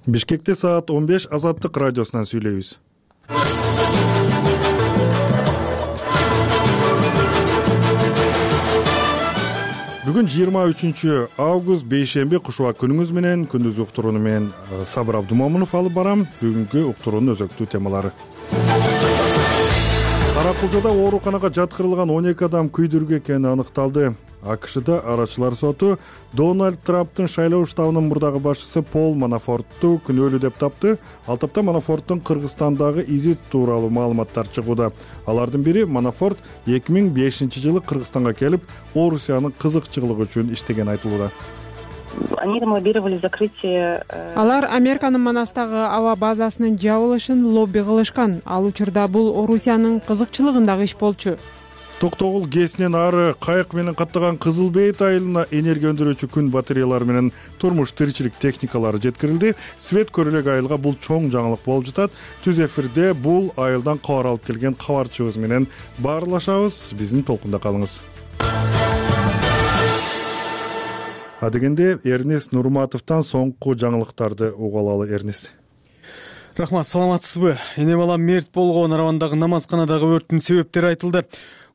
Бишкекте саат 15 Азаттык радиосунан сүйлөйбүз. Бүгүн 23 август бейшемби кушуба күнүңүз менен күндүз уктурууну мен Сабыр Абдумомунов алып барам. Бүгүнкү уктуруунун өзөктүү темалары. Каракулчада ооруканага жаткырылган 12 адам күйдүргү экени аныкталды. АКШда арачылар соту Дональд Трамптын шайлоо штабынын мурдагы башчысы Пол Манафортту күнөөлүү деп тапты. Ал тапта Манафорттун Кыргызстандагы изи тууралуу маалыматтар чыгууда. Алардын бири Манафорт 2005-жылы Кыргызстанга келип, Орусиянын кызыкчылыгы үчүн иштеген айтылууда. Они лоббировали закрытие. Алар Американын Манастагы аба базасынын жабылышын лобби кылышкан. Ал учурда бул Орусиянын кызыкчылыгындагы иш болчу. Токтогул ГЭСинен ары кайык менен каттаган Кызыл Бейт айылына энергия өндүрүүчү күн батареялары менен турмуш тиричилик техникалары жеткирилди. Свет көрөлөк айылга бул чоң жаңылык болуп жатат. Түз эфирде бул айылдан кабар алып келген кабарчыбыз менен баарлашабыз. Биздин толкунда калыңыз. Адегенде Эрнест Нурматовдон соңку жаңылыктарды угуп алалы. Эрнест. Рахмат, саламатсызбы? Эне бала мерт болгон Нарвандагы намазканадагы өрттүн себептери айтылды.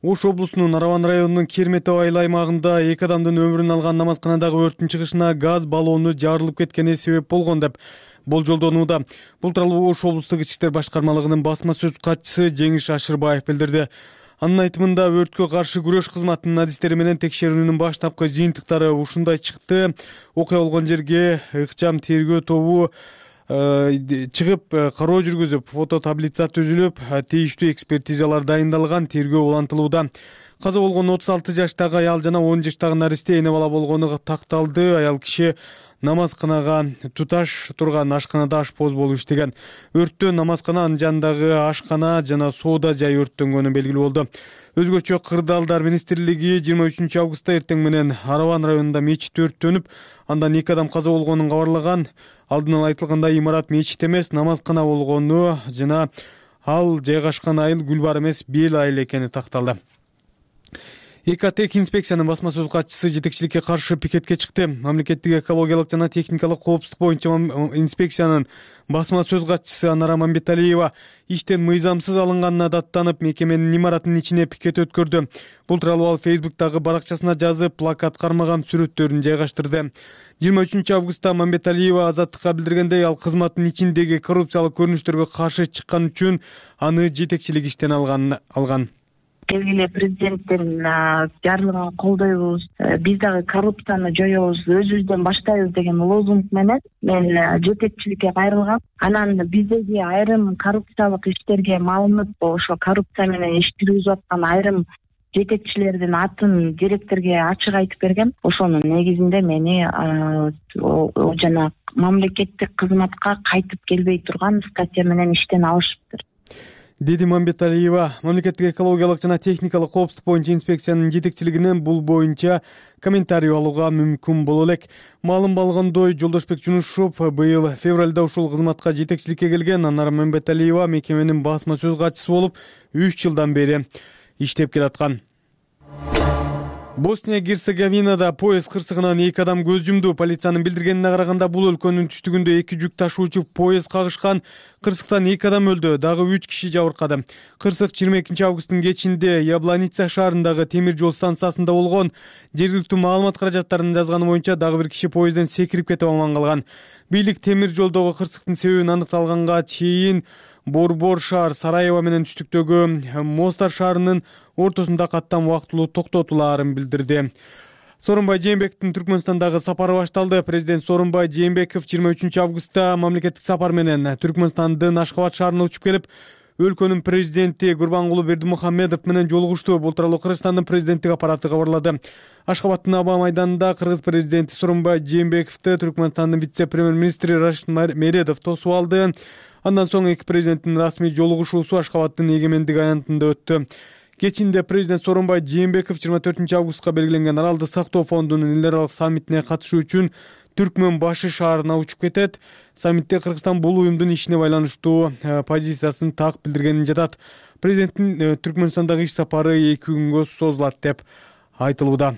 Ош облусунун Нарван районунун Керметов айыл аймагында 2 адамдын өмүрүн алган намазканадагы өрттүн чыгышына газ баллону жарылып кеткени себеп болгон деп болжолдонууда. Бул тууралуу Ош облустук Ички иштер башкармалыгынын басма сөз катчысы Жеңиш Ашырбаев билдирди. Анын айтымында өрткө каршы күрөш кызматынын адистери менен текшерүүнүн баштапкы жыйынтыктары ушундай чыкты. Окуя болгон жерге ыкчам тергөө тобу чыгып кароо жүргүзүп, фототаблица түзүлүп, тийиштүү экспертизалар дайындалган, тергөө улантылууда. Каза болгон 36 жаштагы аял жана 10 жаштагы наристе эне бала болгону такталды. Аял киши намазканага туташ турган ашканада ашпоз болуп иштеген. Өрттө намазкана, анын жанындагы ашкана жана соода жай өрттөнгөнү белгилүү болду. Өзгөчө Кырдаалдар министрлиги 23 августта эртең менен Араван районунда мечит өрттөнүп, андан 2 адам каза болгонун кабарлаган. Алдын ала айтылгандай имарат мечит эмес, намазкана болгону жана ал жайгашкан айыл Гүлбар эмес, Бел айыл экени такталды. ЭКТ инспекциянын басма сөз катчысы жетекчиликке каршы пикетке чыкты. Мамлекеттик экологиялык жана техникалык коопсуздук боюнча инспекциянын басма сөз катчысы Анара Мамбеталиева иштен мыйзамсыз алынганына даттанып, мекеменин имаратынын ичине пикет өткөрдү. Бул тууралуу ал Фейсбуктагы баракчасына жазып, плакат кармаган сүрөттөрүн жайгаштырды. 23 августта Мамбеталиева Азаттыкка билдиргендей, ал кызматтын ичиндеги коррупциялык көрүнүштөргө каршы чыккан үчүн аны жетекчилик иштен алган. Келгиле президенттин жарлыгын колдойбуз, биз дагы коррупцияны жоёбуз, өзүбүздөн баштайбыз деген лозунг менен мен жетекчиликке кайрылгам. Анан биздеги айрым коррупциялык иштерге малынып, ошо коррупция менен иш жүргүзүп аткан айрым жетекчилердин атын директорге ачык айтып бергем. Ошонун негизинде мени жана мамлекеттик кызматка кайтып келбей турган статья менен иштен алышыптыр, деди Мамбеталиева. Мамлекеттик экологиялык жана техникалык коопсуздук боюнча инспекциянын жетекчилигинен бул боюнча комментарий алууга мүмкүн боло элек. Маалым болгондой, Жолдошбек Жунушов быйыл февралда ушул кызматка жетекчиликке келген. Анара Мамбеталиева мекеменин басма сөз катчысы болуп 3 жылдан бери иштеп келаткан. Босния-Герцеговинада поезд кырсыгынан 2 адам көз жумду. Полициянын билдиргенине караганда, бул өлкөнүн түштүгүндө 2 жүк ташуучу поезд кагышкан. Кырсыктан 2 адам өлдү, дагы 3 киши жабыркады. Кырсык 22 августтун кечинде Ябланица шаарындагы темир жол станциясында болгон. Жергиликтүү маалымат каражаттарынын жазганы боюнча, дагы 1 киши поездден секирип кетип аман калган. Бийлик темир жолдогу кырсыктын себебин аныкталганга чейин Борбор шаар Сараево менен түштүктөгү Мостар шаарынын ортосунда каттам убактылуу токтотулаарын билдирди. Сооронбай Жээнбековдун Түркмөнстандагы сапары башталды. Президент Сооронбай Жээнбеков 23 августта мамлекеттик сапар менен Түркмөнстандын Ашкабад шаарына учуп келип, өлкөнүн президенти Гурбангулы Бердимухамедов менен жолугушту. Бул тууралуу Кыргызстандын президенттик аппараты кабарлады. Ашкабадтын аба майданында кыргыз президенти Сооронбай Жээнбековду Түркмөнстандын вице-премьер-министри Рашид Мередов тосуп алды. Андан соң эки президенттин расмий жолугушуусу Ашкабадтын эгемендик аянтында өттү. Кечинде президент Сооронбай Жээнбеков 24 августка белгиленген Аралды сактоо фондунун эл аралык саммитине катышуу үчүн Түркмөн башы шаарына учуп кетет. Саммитте Кыргызстан бул уюмдун ишине байланыштуу позициясын так билдиргенин жатат. Президенттин Түркмөнстандагы иш сапары 2 күнгө созулат деп айтылууда.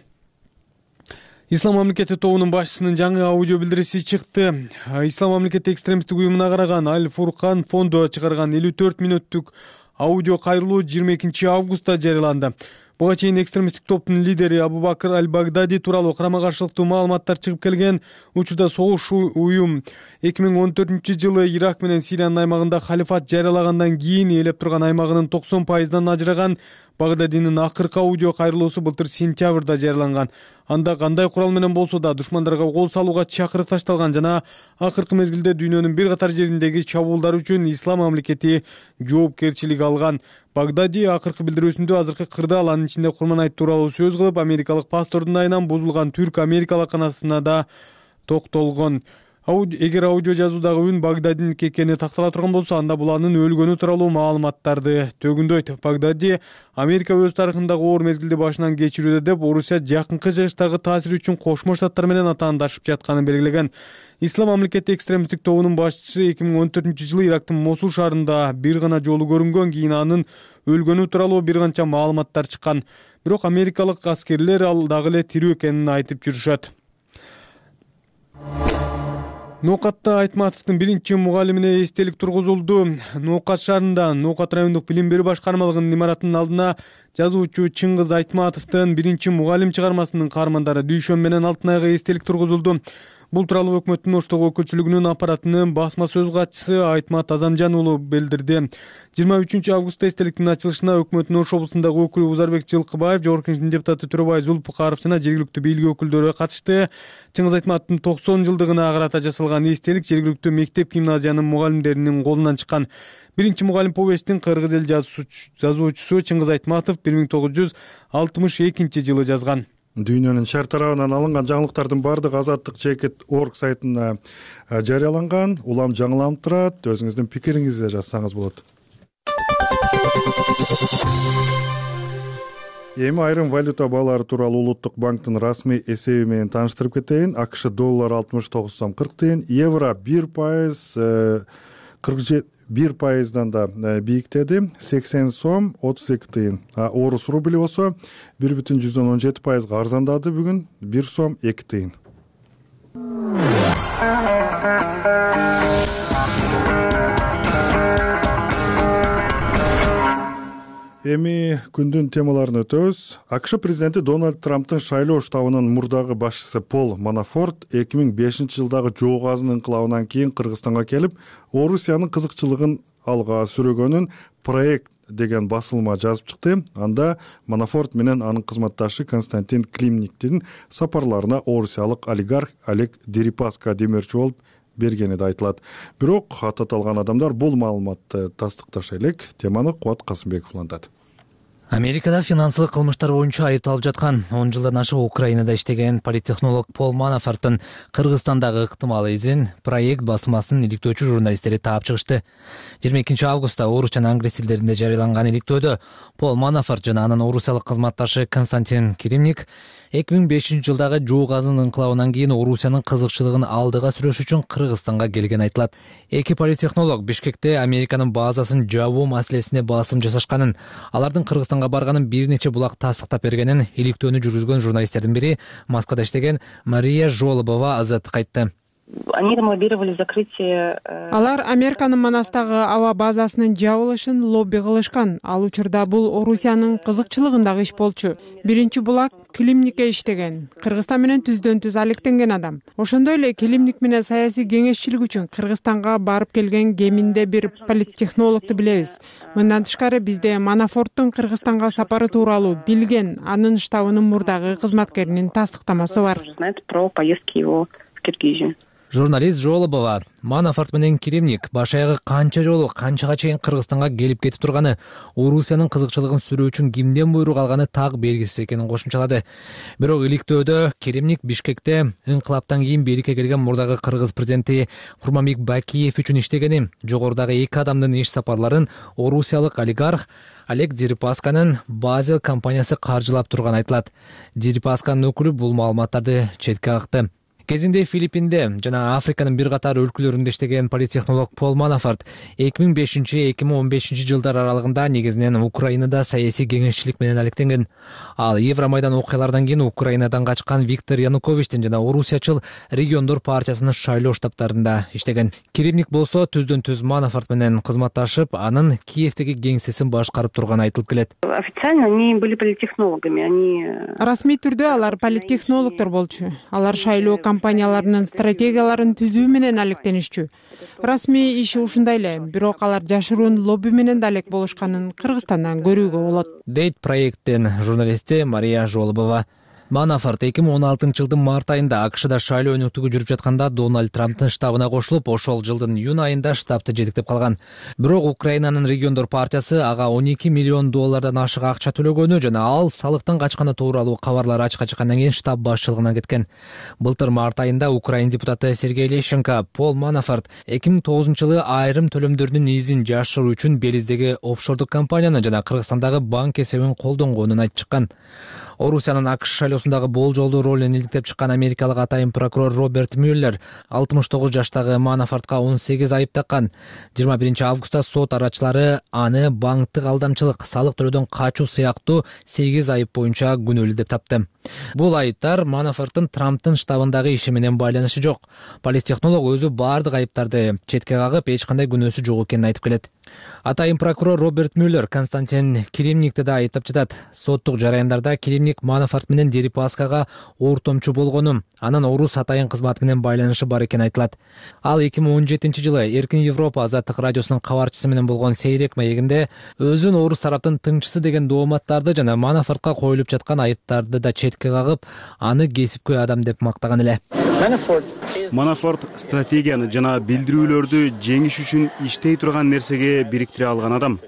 Ислам мамлекети тобунун башчысынын жаңы аудио билдириси чыкты. Ислам мамлекети экстремисттик уюмуна караган Аль Фуркан фонду чыгарган 54 мүнөттүк аудио кайрылуу 22 августта жарыяланды. Буга чейин экстремисттик топтун лидери Абу-Бакр аль-Багдади тууралуу карама-каршылыктуу маалыматтар чыгып келген. Учурда согуш уюм 2014-жылы Ирак менен Сириянын аймагында халифат жарыялагандан кийин ээлеп турган аймагынын 90%дан ажыраган. Багдадинин акыркы аудио кайрылуусу былтыр сентябрда жарыяланган. Анда кандай курал менен болсо да душмандарга кол салууга чакырык ташталган жана акыркы мезгилде дүйнөнүн бир катар жериндеги чабуулдар үчүн Ислам мамлекети жоопкерчилик алган. Багдади акыркы билдирүүсүндө азыркы кырдаал, анын ичинде Курманайт тууралуу сөз кылып, америкалык паспортун айынан бузулган түрк-америкалык канасына да токтолгон. Эгер аудио жазуудагы үн Багдадиники экени тактала турган болсо, анда бул анын өлгөнү тууралуу маалыматтарды төгүндөйт. Багдади Америка өз тарыхындагы оор мезгилди башынан кечирүүдө деп, Орусия жакынкы жыгычтагы таасири үчүн Кошмо Штаттар менен атаандашып жатканын белгилеген. Ислам мамлекети экстремисттик тобунун башчысы 2014-жылы Ирактын Мосул шаарында бир гана жолу көрүнгөн, кийин анын өлгөнү тууралуу бир канча маалыматтар чыккан. Бирок америкалык аскерлер ал дагы эле тирүү экенин айтып жүрүшөт. Ноокатта Айтматовдун биринчи мугалимине эстелик тургузулду. Ноокат шаарында Ноокат райондук билим берүү башкармалыгынын имаратынын алдына жазуучу Чыңгыз Айтматовдун биринчи мугалим чыгармасынын каармандары Дүйшөн менен Алтынайга эстелик тургузулду. Бул тууралуу өкмөттүн Оштогу өкүлчүлүгүнүн аппаратынын басма сөз катчысы Айтмат Азамжан уулу билдирди. 23 августта эстеликтин ачылышына өкмөттүн Ош облусундагы өкүлү Узарбек Жылкыбаев, Жогорку Кеңештин депутаты Төрөбай Зулпукаров жана жергиликтүү бийлик өкүлдөрү катышты. Чыңгыз Айтматовдун 90 жылдыгына карата жасалган эстелик жергиликтүү мектеп-гимназиянын мугалимдеринин колунан чыккан. Биринчи мугалим повесттин кыргыз эл жазуучусу Чыңгыз Айтматов 1962-жылы жазган. Дүйнөнүн шаар тарабынан алынган жаңылыктардын баардыгы Азаттык Чекит.org сайтына жарыяланган. Улам жаңыланып турат. Өзүңүздүн пикириңизди жазсаңыз болот. Эми айрым валюта баалары тууралуу Улуттук банктын расмий эсеби менен тааныштырып кетейин. АКШ доллар 69 сом 40 тыйын, евро 1% 1%дан да бийиктеди, 80 сом 32 тыйын. Орус рубли болсо 1,17%га арзандады бүгүн, 1 сом 2 тыйын. Эми күндүн темаларын өтөбүз. АКШ президенти Дональд Трамптын шайлоо штабынын мурдагы башчысы Пол Манафорт 2005-жылдагы жоо газынын инкылабынан кийин Кыргызстанга келип, Орусиянын кызыкчылыгын алга сүрөгөнүн проект деген басылма жазып чыкты. Анда Манафорт менен анын кызматташы Константин Климниктин сапарларына орусиялык олигарх Олег Дерипаска демөөрчү болуп бергени да айтылат. Бирок аталган адамдар бул маалыматты тастыкташа элек. Теманы Кубат Касымбеков улантат. Америкада финансылык кылмыштар боюнча айыпталып жаткан 10 жылдан ашык Украинада иштеген политтехнолог Пол Манафорттун Кыргызстандагы ыктымал изин проект басылмасынын иликтөөчү журналисттери таап чыгышты. 22 августта Орус жана англис тилдеринде жарыяланган иликтөөдө Пол Манафорт жана анын орусиялык кызматташы Константин Климник 2005-жылдагы жоо газынын инкылабынан кийин Орусиянын кызыкчылыгын алдыга сүрөш үчүн Кыргызстанга келген айтылат. Эки политтехнолог Бишкекте Американын базасын жабуу маселесине басым жасашканын, алардын Кыргызстанга барганын бир нече булак тастыктап бергенин иликтөөнү жүргүзгөн журналисттердин бири, Москвада иштеген Мария Жолобова азаттыкка айтты. Они там лоббировали закрытие. Алар Американын Манастагы аба базасынын жабылышын лобби кылышкан. Ал учурда бул Орусиянын кызыкчылыгындагы иш болчу. Биринчи булак Климникке иштеген. Кыргызстан менен түздөн-түз алектенген адам. Ошондой эле Климник менен саясий кеңешчилик үчүн Кыргызстанга барып келген кеминде бир политтехнологду билебиз. Мындан тышкары бизде Манафорттун Кыргызстанга сапары тууралуу билген анын штабынын мурдагы кызматкеринин тастыктамасы бар. Знает про поездки его в Киргизию. Журналист Жолобова Манафорт менен Климник баш-аягы канча жолу канчага чейин Кыргызстанга келип кетип турганы, Орусиянын кызыкчылыгын сүрүү үчүн кимден буйрук алганы так белгисиз экенин кошумчалады. Бирок иликтөөдө Климник Бишкекте инкылаптан кийин бийликке келген мурдагы Кыргыз президенти Курманбек Бакиев үчүн иштегени, жогорудагы эки адамдын иш сапарларын орусиялык олигарх Олег Дерипасканын Базел компаниясы каржылап турганы айтылат. Дерипасканын өкүлү бул маалыматтарды четке какты. Кезинде Филиппинде жана Африканын бир катар өлкөлөрүндө иштеген политтехнолог Пол Манафорт 2005-2015 жылдар аралыгында негизинен Украинада саясий кеңешчилик менен алектенген. Ал Евромайдан окуяларынан кийин Украинадан качкан Виктор Януковичтин жана орусиячыл региондор партиясынын шайлоо штабтарында иштеген. Керемник болсо түздөн түз Манафорт менен кызматташып, анын Киевдеги кеңсесин башкарып турганы айтылып келет. Официально они были политтехнологами, они... Расмий түрдө алар политтехнологдор болчу. Алар шайлоо компанияларынын стратегияларын түзүү менен алектенишчү. Расмий иши ушундай эле, бирок алар жашыруун лобби менен да алек болушканын Кыргызстандан көрүүгө болот, дейт проекттин журналисти Мария Жолобова. Манафорт 2016 жылдын март айында АКШда шайлоо өнөктүгү жүрүп жатканда Дональд Трамптын штабына кошулуп, ошол жылдын июнь айында штабты жетектеп калган. Бирок Украинанын региондор партиясы ага $12 миллион ашык акча төлөгөнү жана ал салыктан качканы тууралуу кабарлар ачыкка чыккандан кийин штаб башчылыгынан кеткен. Былтыр март айында Украин депутаты Сергей Лещенко Пол Манафорт 2009 жылы айрым төлөмдөрдүн изин жашыруу үчүн Белиздеги офшордук компанияны жана Кыргызстандагы банк эсебин колдонгонун айтып чыккан. Орусиянын АКШ шайлоосундагы болжолдуу ролун иликтеп чыккан америкалык атайын прокурор Роберт Мюллер 69 жаштагы Манафортко 18 айып таккан. 21 августта сот арачылары аны банктык алдамчылык, салык төлөөдөн качуу сыяктуу 8 айып боюнча күнөөлүү деп тапты. Бул айыптар Манафорттун Трамптын штабындагы иши менен байланышы жок. Политтехнолог өзү бардык айыптарды четке кагып, эч кандай күнөөсү жок экенин айтып келет. Атайын прокурор Роберт Мюллер Константин Килимникти да айыптап жатат. Соттук жараяндарда Килимник Манафорт менен Дерипаскага ортомчу болгону, анын орус атайын кызматы менен байланышы бар экени айтылат. Ал 2017 жылы Эркин Европа азаттык радиосунун кабарчысы менен болгон сейрек маегинде өзүн орус тараптын тыңчысы деген дооматтарды жана Манафортко коюлуп жаткан айыптарды да четке кагып, аны кесипкөй адам деп мактаган эле. Манафорт стратегияны жана билдирүүлөрдү жеңиш үчүн иштей турган нерсеге бириктире алган адам.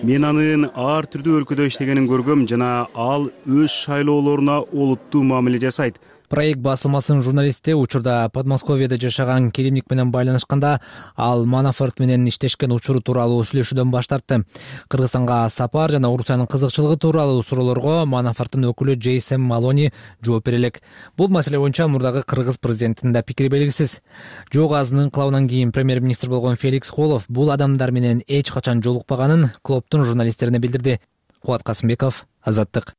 Мен анын ар түрдүү өлкөдө иштегенин көргөм жана ал өз шайлоолоруна олуттуу мамиле жасайт. Проект басылмасынын журналисти учурда Подмосковьеде жашаган Килимник менен байланышканда ал Манафорт менен иштешкен учуру тууралуу сүйлөшүүдөн баш тартты. Кыргызстанга сапар жана Орусиянын кызыкчылыгы тууралуу суроолорго Манафорттун өкүлү Джейсон Малони жооп бере элек. Бул маселе боюнча мурдагы кыргыз президентинин да пикири белгисиз. Жок азынын инкылабынан кийин премьер-министр болгон Феликс Холов бул адамдар менен эч качан жолукпаганын клубтун журналисттерине билдирди. Кубат Касымбеков, Азаттык.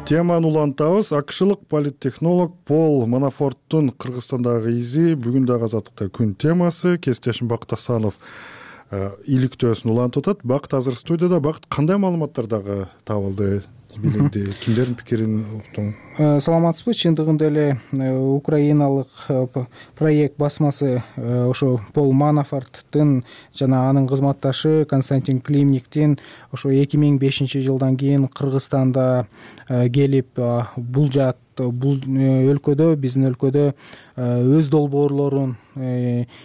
Теманы улантабыз. АКШлык политтехнолог Пол Манафорттун Кыргызстандагы изи бүгүн дагы Азаттыкта күн темасы. Кесиптешим Бакыт Асанов иликтөөсүн улантып атат. Бакыт азыр студияда. Бакыт, кандай маалыматтар дагы табылды, билинди? Кимдердин пикирин уктуң? Саламатсызбы? Чындыгында эле украиналык проект басмасы ошо Пол Манафорттун жана анын кызматташы Константин Килимниктин ошо 2005 жылдан кийин Кыргызстанда келип булжат, бул өлкөдө, биздин өлкөдө өз долбоорлорун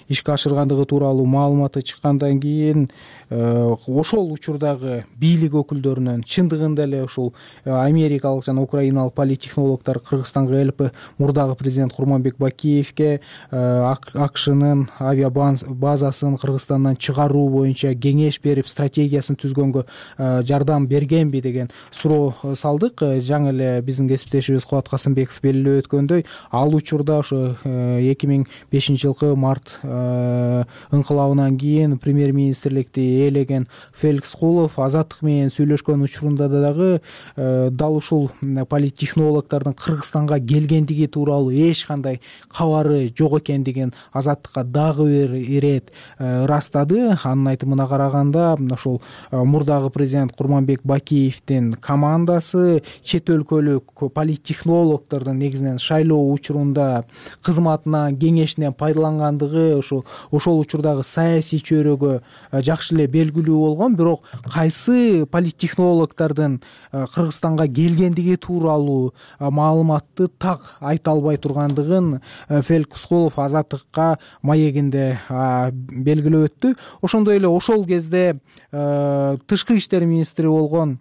ишке ашыргандыгы тууралуу маалыматы чыккандан кийин ошол учурдагы бийлик өкүлдөрүнөн чындыгында эле ушул америкалык жана украиналык политтехнологдор Кыргызстанга келип, мурдагы президент Курманбек Бакиевке АКШнын авиабазасын Кыргызстандан чыгаруу боюнча кеңеш берип, стратегиясын түзгөнгө жардам бергенби деген суроо салдык. Жаңы эле биздин кесиптешибиз Кубат Касымбеков белгилеп өткөндөй, ал учурда ошо 2005 жылкы март инкылабынан кийин премьер-министрликти ээлеген Феликс Холов Азаттык менен сүйлөшкөн учурунда дагы дал ушул политтехнологдордун Кыргызстанга келгендиги тууралуу эч кандай кабары жок экендигин Азаттыкка дагы бир ирет ырастады. Анын айтымына караганда, ошол мурдагы президент Курманбек Бакиевдин командасы чет өлкөлүк политтехнологдордун негизинен шайлоо учурунда кызматынан, кеңешинен пайдалангандыгы ошол учурдагы саясий чөйрөгө жакшы эле белгилүү болгон. Бирок кайсы политтехнологдордун Кыргызстанга келгендиги тууралуу маалыматты так айта албай тургандыгын Феликс Холов Азаттыкка маегинде белгилеп өттү. Ошондой эле ошол кезде тышкы иштер министри болгон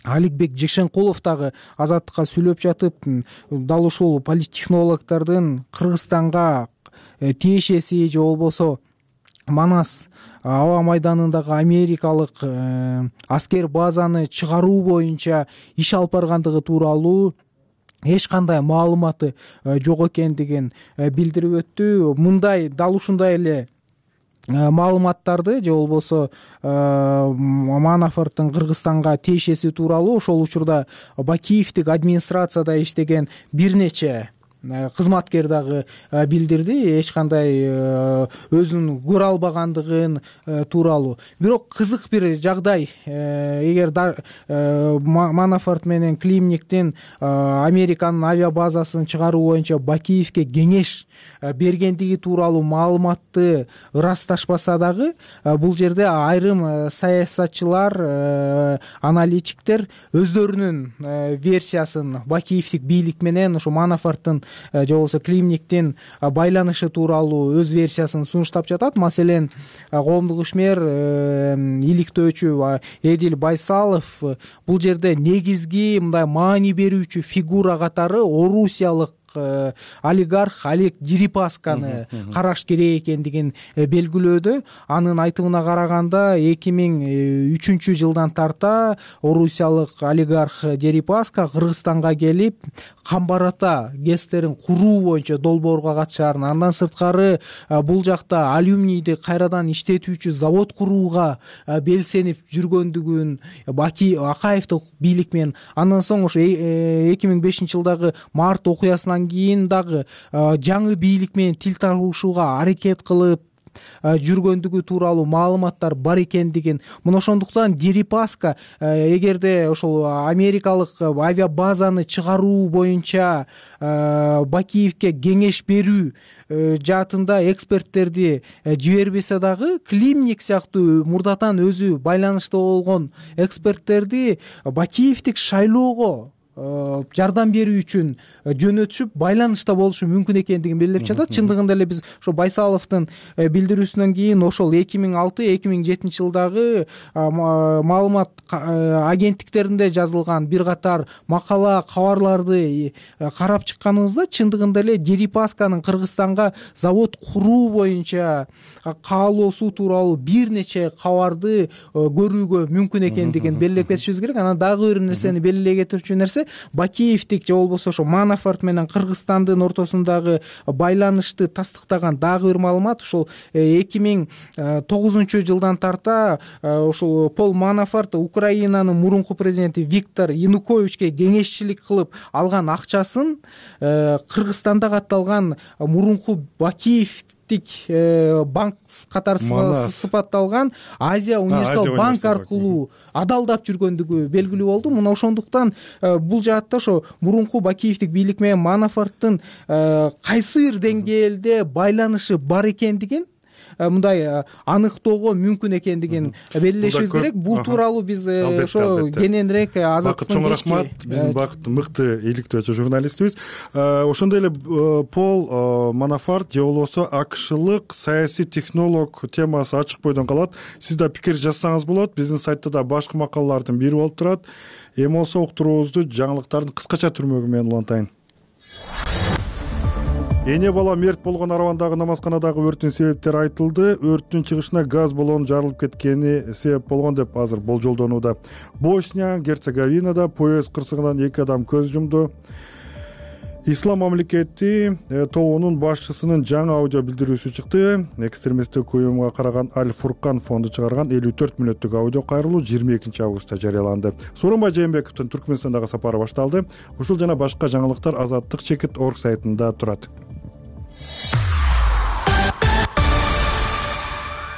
Аликбек Жекшенкулов дагы Азаттыкка сүйлөп жатып, дал ушул политтехнологдордун Кыргызстанга тиешеси же болбосо Манас аба майданындагы америкалык аскер базаны чыгаруу боюнча иш алып баргандыгы тууралуу эч кандай маалыматы жок экендигин билдирип өттү. Мындай дал ушундай эле маалыматтарды же болбосо Манафорттун Кыргызстанга тиешеси тууралуу ошол учурда Бакиевдик администрацияда иштеген бир нече кызматкер дагы билдирди, эч кандай өзүн көрө албагандыгын тууралуу. Бирок кызык бир жагдай, эгер Манафорт менен Климниктин Американын авиабазасын чыгаруу боюнча Бакиевке кеңеш бергендиги тууралуу маалыматты ырасташпаса дагы, бул жерде айрым саясатчылар, аналитиктер өздөрүнүн версиясын Бакиевдик бийлик менен ошо Манафорттун же болбосо Климниктин байланышы тууралуу өз версиясын сунуштап жатат. Маселен, коомдук ишмер иликтөөчү Эдил Байсалов бул жерде негизги мындай маани берүүчү фигура катары орусиялык олигарх Олег Дерипасканы караш керек экендигин белгилөөдө. Анын айтымына караганда 2003 жылдан тарта орусиялык олигарх Дерипаска Кыргызстанга келип Камбарата ГЭСтерин куруу боюнча долбоорго катышаарын, андан сырткары бул жакта алюминийди кайрадан иштетүүчү завод курууга белсенип жүргөндүгүн Акаевдик бийлик менен, андан соң ошо 2005 жылдагы март окуясынан кийин дагы жаңы бийлик менен тил табышууга аракет кылып жүргөндүгү тууралуу маалыматтар бар экендигин. Мына ошондуктан Дерипаска эгерде ошол америкалык авиабазаны чыгаруу боюнча Бакиевке кеңеш берүү жаатында эксперттерди жибербесе дагы, Климник сыяктуу мурдатан өзү байланышта болгон эксперттерди Бакиевдик шайлоого жардам берүү үчүн жөнөтүшүп байланышта болушу мүмкүн экендигин белгилеп жатат. Чындыгында эле биз ошо Байсаловдун билдирүүсүнөн кийин ошол 2006-2007 жылдагы маалымат агенттиктеринде жазылган бир катар макала, кабарларды карап чыкканыбызда чындыгында эле Дерипасканын Кыргызстанга завод куруу боюнча каалоосу тууралуу бир нече кабарды көрүүгө мүмкүн экендигин белгилеп кетишибиз керек. Анан дагы бир нерсени белгилей кетирүүчү нерсе, Бакиевдик же болбосо ошо Манафорт менен Кыргызстандын ортосундагы байланышты тастыктаган дагы бир маалымат, ошол 2009 жылдан тарта ошол Пол Манафорт Украинанын мурунку президенти Виктор Януковичке кеңешчилик кылып алган акчасын Кыргызстанда катталган мурунку Бакиев банк катары сыпатталган Азия универсал банк аркылуу адалдап жүргөндүгү белгилүү болду. Мына ошондуктан бул жаатта ошо мурунку Бакиевдик бийлик менен Манафорттун кайсы бир деңгээлде байланышы бар экендигин мындай аныктоого мүмкүн экендигин белгилешибиз керек. Бул тууралуу биз ошо кененирээк чоң рахмат. Биздин Бакыт мыкты иликтөөчү журналистибиз. Ошондой эле Пол Манафорт же болбосо АКШлык саясий технолог темасы ачык бойдон калат. Сиз да пикир жазсаңыз болот. Биздин сайтта да башкы макалалардын бири болуп турат. Эми болсо уктуруубузду жаңылыктардын кыскача түрмөгү менен улантайын. Эне бала мерт болгон Аравандагы намазканадагы өрттүн себептери айтылды. Өрттүн чыгышына газ баллону жарылып кеткени себеп болгон деп азыр болжолдонууда. Босния Герцеговинада поезд кырсыгынан 2 адам көз жумду. Ислам мамлекети тобунун башчысынын жаңы аудио билдирүүсү чыкты. Экстремисттик уюмга караган Аль-Фуркан фонду чыгарган 54 мүнөттүк аудио кайрылуу 22 августта жарыяланды. Сооронбай Жээнбековдун Түркмөнстандагы сапары башталды. Ушул жана башка жаңылыктар Азаттык.org сайтында турат.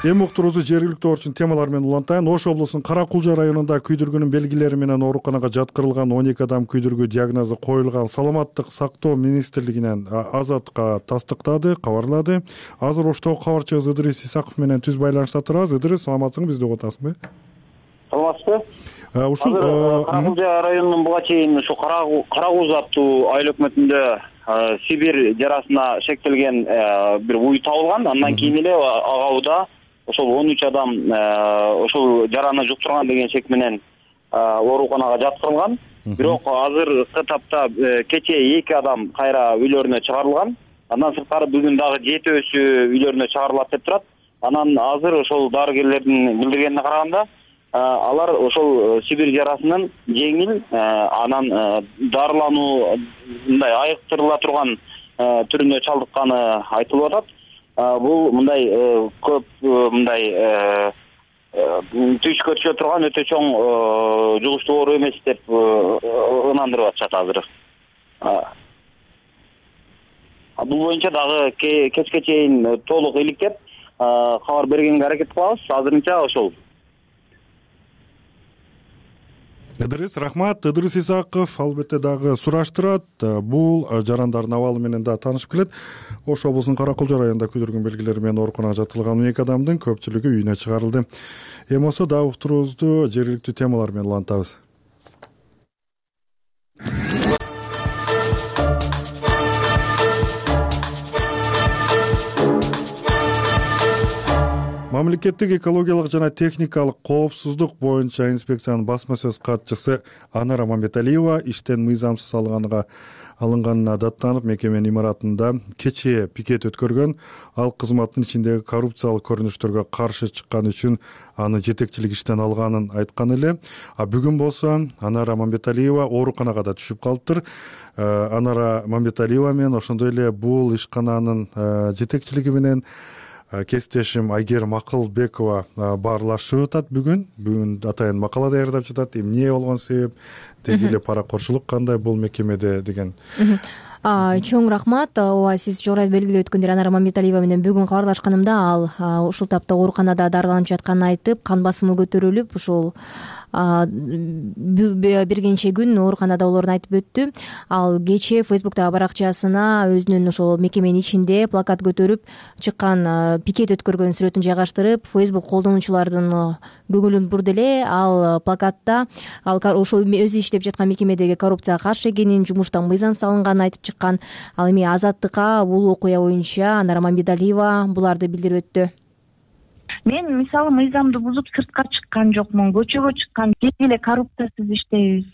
Эми уктуруубузду жергиликтүү орчун темалар менен улантайын. Ош облусунун Кара Кулжа районунда күйдүргүнүн белгилери менен ооруканага жаткырылган 12 адам күйдүргү диагнозу коюлган. Саламаттык сактоо министрлигинен Азатка тастыктады, кабарлады. Азыр Оштогу кабарчыбыз Ыдырыс Исаков менен түз байланышта турабыз. Ыдырыс, саламатсыңбы, бизди угуп атасыңбы? Саламатсызбы? Ушул Кара Кулжа районунун буга чейин ушу Кара Кулжа аттуу айыл өкмөтүндө Сибир жарасына шектелген бир уй табылган. Андан кийин эле ага ошол 13 адам ошол жараны жуктурган деген шек менен ооруканага жаткырылган. Бирок азыркы тапта кече 2 адам кайра үйлөрүнө чыгарылган. Андан сырткары бүгүн дагы 7-өсү үйлөрүнө чыгарылат деп турат. Анан азыр ошол дарыгерлердин билдиргенине караганда алар ошол Сибирь жарасынын жеңил, анан дарылануу мындай айыктырыла турган түрүнө чалдыкканы айтылып атат. Бул мындай көп мындай түйүшкө түшө турган өтө чоң жугуштуу оору эмес деп ынандырып атышат азыр. Бул боюнча дагы кечке чейин толук иликтеп кабар бергенге аракет кылабыз. Азырынча ошол. Рахмат. Ыдырыс Исаков албетте дагы сураштырат. Бул жарандардын абалы менен да таанышып келет. Ош облусунун Кара Кулжа районунда күйдүргүн белгилери менен ооруканага жаткырылган 12 адамдын көпчүлүгү үйүнө чыгарылды. Эми болсо дагы уктуруубузду жергиликтүү темалар менен улантабыз. Мамлекеттик экологиялык жана техникалык коопсуздук боюнча инспекциянын басма сөз катчысы Анара Мамбеталиева иштен мыйзамсыз алынганына даттанып, мекеменин имаратында кечээ пикет өткөргөн. Ал кызматтын ичиндеги коррупциялык көрүнүштөргө каршы чыкканы үчүн аны жетекчилик иштен алганын айткан эле. Бүгүн болсо Анара Мамбеталиева ооруканага да түшүп калыптыр. Анара Мамбеталиева менен ошондой эле бул ишкананын жетекчилиги менен кесиптешим Айгерим Акылбекова баарлашып атат. Бүгүн атайын макала даярдап жатат. Эмне болгон себеп, деги эле паракорчулук кандай бул мекемеде деген. Чоң рахмат. Ооба, сиз жогоруда белгилеп өткөндөй Анара Мамбеталиева менен бүгүн кабарлашканымда ал ушул тапта ооруканада дарыланып жатканын айтып, кан басымы көтөрүлүп, ушул бир нече күн ооруканада болоорун айтып өттү. Ал кечээ Фейсбуктагы баракчасына өзүнүн ошол мекеменин ичинде плакат көтөрүп чыккан, пикет өткөргөн сүрөтүн жайгаштырып, Фейсбук колдонуучулардын көңүлүн бурду эле. Ал плакатта ошол өзү иштеп жаткан мекемедеги коррупцияга каршы экенин, жумуштан мыйзамсыз алынганын айтып чыккан. Ал эми Азаттыкка бул окуя боюнча Анара Мамбеталиева буларды билдирип өттү. Мен мисалы мыйзамды бузуп сыртка чыккан жокмун, көчөгө чыккан, келгиле коррупциясыз иштейбиз,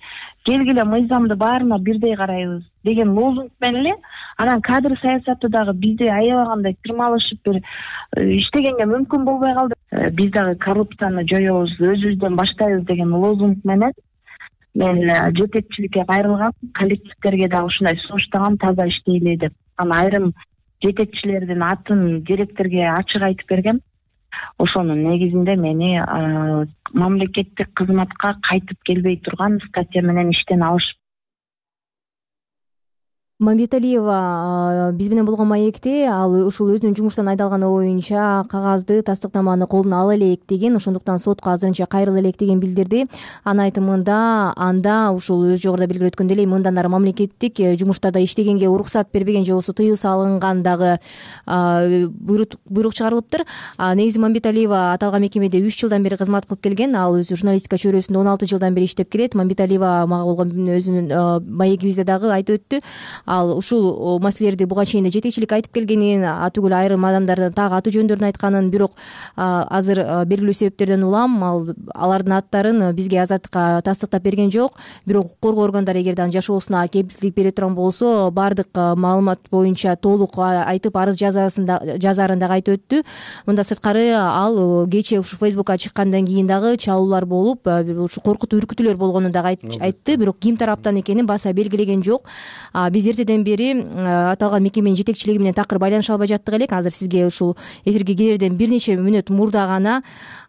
келгиле мыйзамды баарына бирдей карайбыз деген лозунг менен эле анан кадр саясаты дагы бизди аябагандай тырмалышып бир иштегенге мүмкүн болбой калды. Биз дагы коррупцияны жоёбуз, өзүбүздөн баштайбыз деген лозунг менен мен жетекчиликке кайрылгам, коллективдерге дагы ушундай сунуштагам, таза иштейле деп. Анан айрым жетекчилердин атын директорге ачык айтып бергем. Ошонун негизинде мени мамлекеттик кызматка кайтып келбей турган статья менен иштен алышып. Мамбеталиева биз менен болгон маекте ал ушул өзүнүн жумуштан айдалганы боюнча кагазды, тастыктаманы колуна ала элек деген, ошондуктан сотко азырынча кайрыла элек деген билдирди. Анын айтымында анда ушул өз жогоруда белгилеп өткөндөй эле мындан ары мамлекеттик жумуштарда иштегенге уруксат бербеген же болбосо тыюу салынган дагы буйрук чыгарылыптыр. Негизи Мамбеталиева аталган мекемеде 3 жылдан бери кызмат кылып келген. Ал өзү журналистика чөйрөсүндө 16 жылдан бери иштеп келет. Мамбеталиева мага болгон өзүнүн маегибизде дагы айтып өттү. Ал ушул маселелерди буга чейин да жетекчилик айтып келгенин, атүгүл айрым адамдардын так аты жөндөрүн айтканын, бирок азыр белгилүү себептерден улам алардын аттарын бизге Азаттыкка тастыктап берген жок. Бирок укук коргоо органдары эгерде анын жашоосуна кепилдик бере турган болсо, баардык маалымат боюнча толук айтып арыз жазаарын дагы айтып өттү. Мында сырткары ал кечээ ушу Фейсбукка чыккандан кийин дагы чалуулар болуп, ушу коркутуу үркүтүүлөр болгонун дагы айтты. Бирок ким тараптан экенин баса белгилеген жок. Биз эртеден бери аталган мекеменин жетекчилиги менен такыр байланыша албай жаттык элек. Азыр сизге ушул эфирге кирерден бир нече мүнөт мурда гана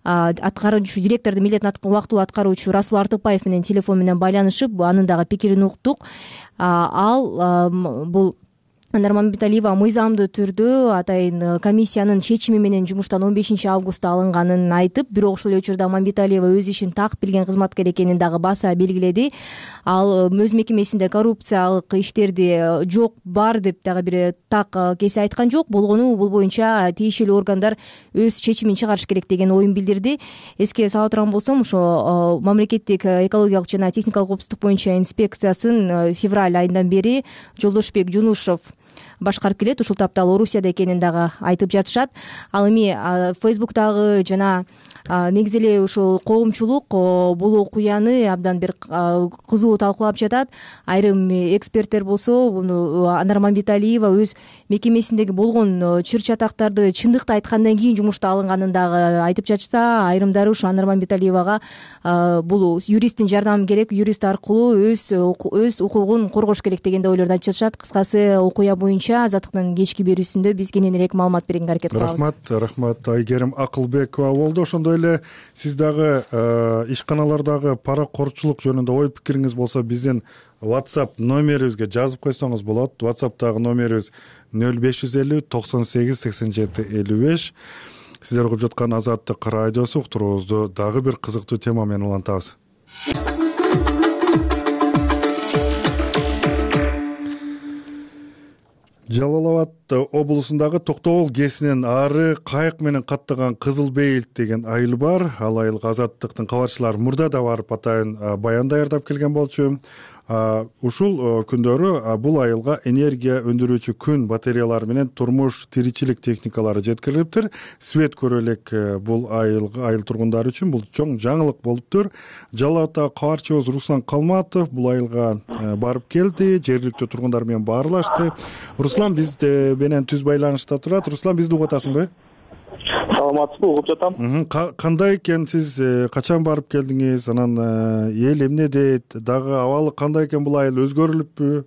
аткаруучу директордун милдетин убактылуу аткаруучу Расул Артыкбаев менен телефон менен байланышып, анын дагы пикирин уктук. Ал бул Анара Мамбеталиева мыйзамдуу түрдө атайын комиссиянын чечими менен жумуштан 15 августта алынганын айтып, бирок ошол учурда Мамбеталиева өз ишин так билген кызматкер экенин дагы баса белгиледи. Ал өз мекемесинде коррупциялык иштерди жок, бар деп дагы бир так кесе айткан жок. Болгону бул боюнча тиешелүү органдар өз чечимин чыгарыш керек деген оюн билдирди. Эске сала турган болсом, ошо мамлекеттик экологиялык жана техникалык коопсуздук боюнча инспекциясын февраль айынан бери Жолдошбек Жунушев башкарып келет. Ушул тапта ал Орусияда экенин дагы айтып жатышат. Ал эми Facebook'тагы жана негизи эле ушул коомчулук бул окуяны абдан бир кызуу талкуулап жатат. Айрым эксперттер болсо буну Анар Мамбеталиева өз мекемесиндеги болгон чыр чатактарды чындыкты айткандан кийин жумушта алынганын дагы айтып жатышса, айрымдары ушу Анар Мамбеталиевага бул юристтин жардамы керек, юрист аркылуу өз укугун коргош керек деген ойлорду айтып жатышат. Кыскасы, окуя боюнча Азаттыктын кечки берүүсүндө биз кененирээк маалымат бергенге аракет кылабыз. Рахмат Айгерим Акылбекова болду. Ошондой эле сиз дагы ишканалардагы паракорчулук жөнүндө ой пикириңиз болсо биздин WhatsApp номерибизге жазып койсоңуз болот. WhatsApp'тагы номерибиз 0550 98 87 55. Сиздер угуп жаткан Азаттык радиосу уктуруубузду дагы бир кызыктуу тема менен улантабыз. Жалал Абад облусундагы Токтогул КЭСинен ары кайык менен каттаган Кызыл Бейилт деген айыл бар. Ал айылга Азаттыктын кабарчылары мурда да барып атайын баян даярдап келген болчу. Ушул күндөрү бул айылга энергия өндүрүүчү күн батареялары менен турмуш тиричилик техникалары жеткирилиптир. Свет көрө элек бул айыл тургундары үчүн бул чоң жаңылык болуптур. Жалал Абадтагы кабарчыбыз Руслан Калматов бул айылга барып келди, жергиликтүү тургундар менен баарлашты. Руслан биз менен түз байланышта турат. Руслан, бизди угуп атасыңбы? Саламатсызбы, угуп жатам. Кандай экен, сиз качан барып келдиңиз? Анан эл эмне дейт? Дагы абалы кандай экен, бул айыл өзгөрүлүппү?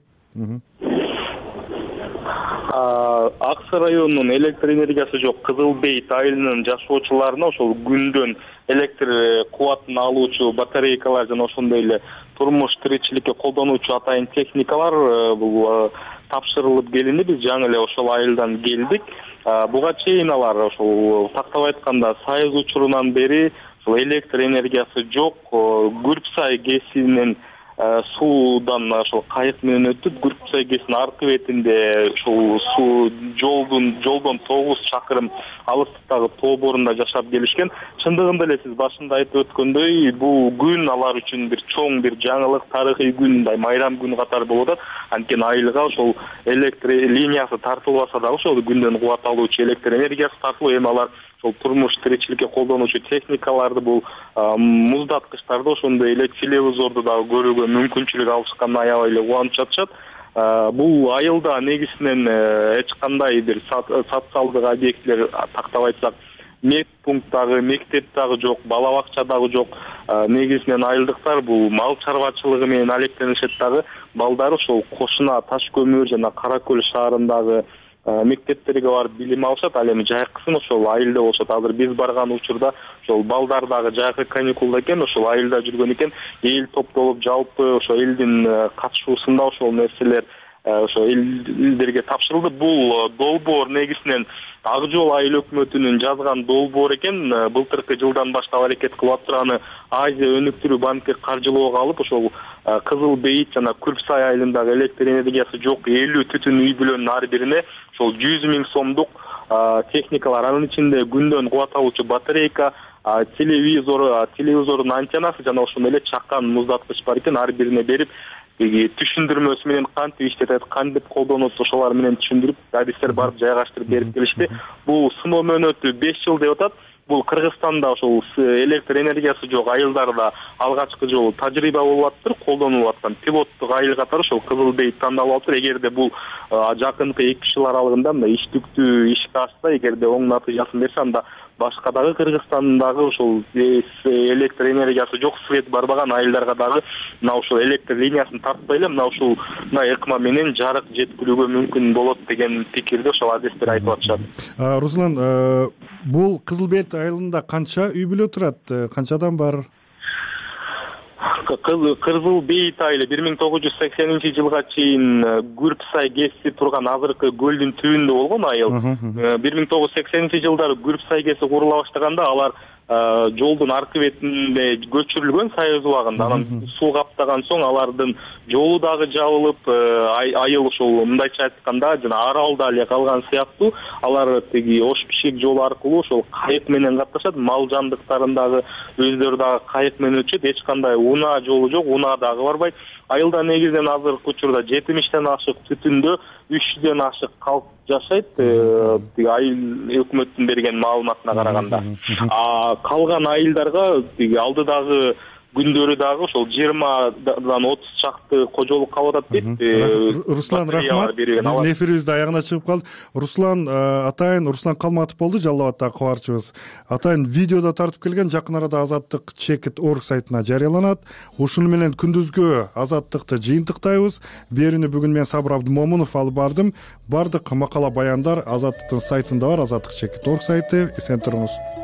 Аксы районунун электр энергиясы жок Кызыл Бейит айылынын жашоочуларына ошол күндөн электр кубатын алуучу батарейкалар жана ошондой эле турмуш тиричиликке колдонуучу атайын техникалар бул тапшырылып келинди. Биз жаңы эле ошол айылдан келдик. Буга чейин алар ошол тактап айтканда Союз учурунан бери ошол электр энергиясы жок. Күрпсай КЭСинен суудан ошол кайык менен өтүп, Күрпсай КЭСинин аркы бетинде ошол суу жолдон 9 чакырым алыстыктагы тоо борунда жашап келишкен. Чындыгында эле сиз башында айтып өткөндөй, бул күн алар үчүн бир чоң бир жаңылык, тарыхый күн, майрам күнү катары болуп атат. Анткени айылга ошол электр линиясы тартылбаса дагы ошол күндөн кубат алуучу электр энергиясы тартылып, эми алар ошол турмуш тиричиликке колдонуучу техникаларды, бул муздаткычтарды, ошондой эле телевизорду дагы көрүүгө мүмкүнчүлүк алышканына аябай эле кубанып жатышат. Бул айылда негизинен эч кандай бир социалдык объектилер, тактап айтсак, медпункт дагы, мектеп дагы жок, бала бакча дагы жок. Негизинен айылдыктар бул мал чарбачылыгы менен алектенишет дагы. Балдары ошол Кошуна, Таш көмүр жана Кара Көл шаарындагы мектептерге барып билим алышат. Ал эми жайкысын ошол айылда болушат. Азыр биз барган учурда ошол балдар дагы жайкы каникулда экен, ошол айылда жүргөн экен. Эл топтолуп, жалпы ошо элдин катышуусунда ошол нерселер ошо элдерге тапшырылды. Бул долбоор негизинен Ак Жол айыл өкмөтүнүн жазган долбоор экен. Былтыркы жылдан баштап аракет кылып атып турганы Азия өнүктүрүү банки каржылоого алып, ошол Кызыл Бейит жана Күрпсай айылындагы электр энергиясы жок 50 түтүн үй бүлөнүн ар бирине ошол 100 000 сомдук техникалар, анын ичинде күндөн кубат алуучу батарейка, телевизордун антеннасы жана ошондой эле чакан муздаткыч бар экен. Ар бирине берип, түшүндүрмөсү менен кантип иштетет, кантип колдонот, ошолар менен түшүндүрүп, адистер барып жайгаштырып берип келишти. Бул сыноо мөөнөтү 5 жыл деп атат. Бул Кыргызстанда ошол электр энергиясы жок айылдарда алгачкы жолу тажрыйба болуп атыптыр, колдонулуп аткан пилоттук айыл катары ошол Кызыл Бейит тандалып атыптыр. Эгерде бул жакынкы 2 жыл аралыгында мына иштиктүү ишке ашса, эгерде оң натыйжасын берсе, анда башка дагы Кыргызстандагы ошол электр энергиясы жок, свет барбаган айылдарга дагы мына ошол электр линиясын тартпай эле мына ушул ыкма менен жарык жеткирүүгө мүмкүн болот деген пикирди ошол адистер айтып атышат. Руслан, бул Кызыл Бейит айылында канча үй бүлө турат? Канча адам бар? Кызыл Бейит айылы 1980-жылга чейин Күрпсай КЭСи турган азыркы көлдүн түбүндө болгон айыл. 1980-жылдары Күрпсай КЭСи курула баштаганда алар жолдун аркы бетинде көчүрүлгөн Союз убагында. Анан суу каптаган соң алардын жолу дагы жабылып, айыл ошол мындайча айтканда жана аралда эле калган сыяктуу. Алар тиги Ош Бишкек жолу аркылуу ошол кайык менен катташат. Мал жандыктарын дагы өздөрү дагы кайык менен өтүшөт. Эч кандай унаа жолу жок, унаа дагы барбайт. айылда негизинен азыркы учурда 70тен ашык түтүндө 300дөн ашык калк жашайт, тиги айыл өкмөттүн берген маалыматына караганда. Калган айылдарга тиги алдыдагы күндөрү дагы ошол 20дан 30 чакты кожолук калып атат дейт. Руслан, рахмат. Биздин эфирибиз да аягына чыгып калды. Руслан атайын, Руслан Калматов болду, Жалал абадтагы кабарчыбыз. Атайын видеодо тартып келген, жакын арада Азаттык Checkt.org сайтына жарыяланат. Ушуну менен күндүзгү Азаттыкты жыйынтыктайбыз. Берүүнү бүгүн мен Сабыр Абдымомунов алып бардым. Бардык макала баяндар Азаттыктын сайтында бар, Азаттык Checkt.org сайты. Эсен туруңуз.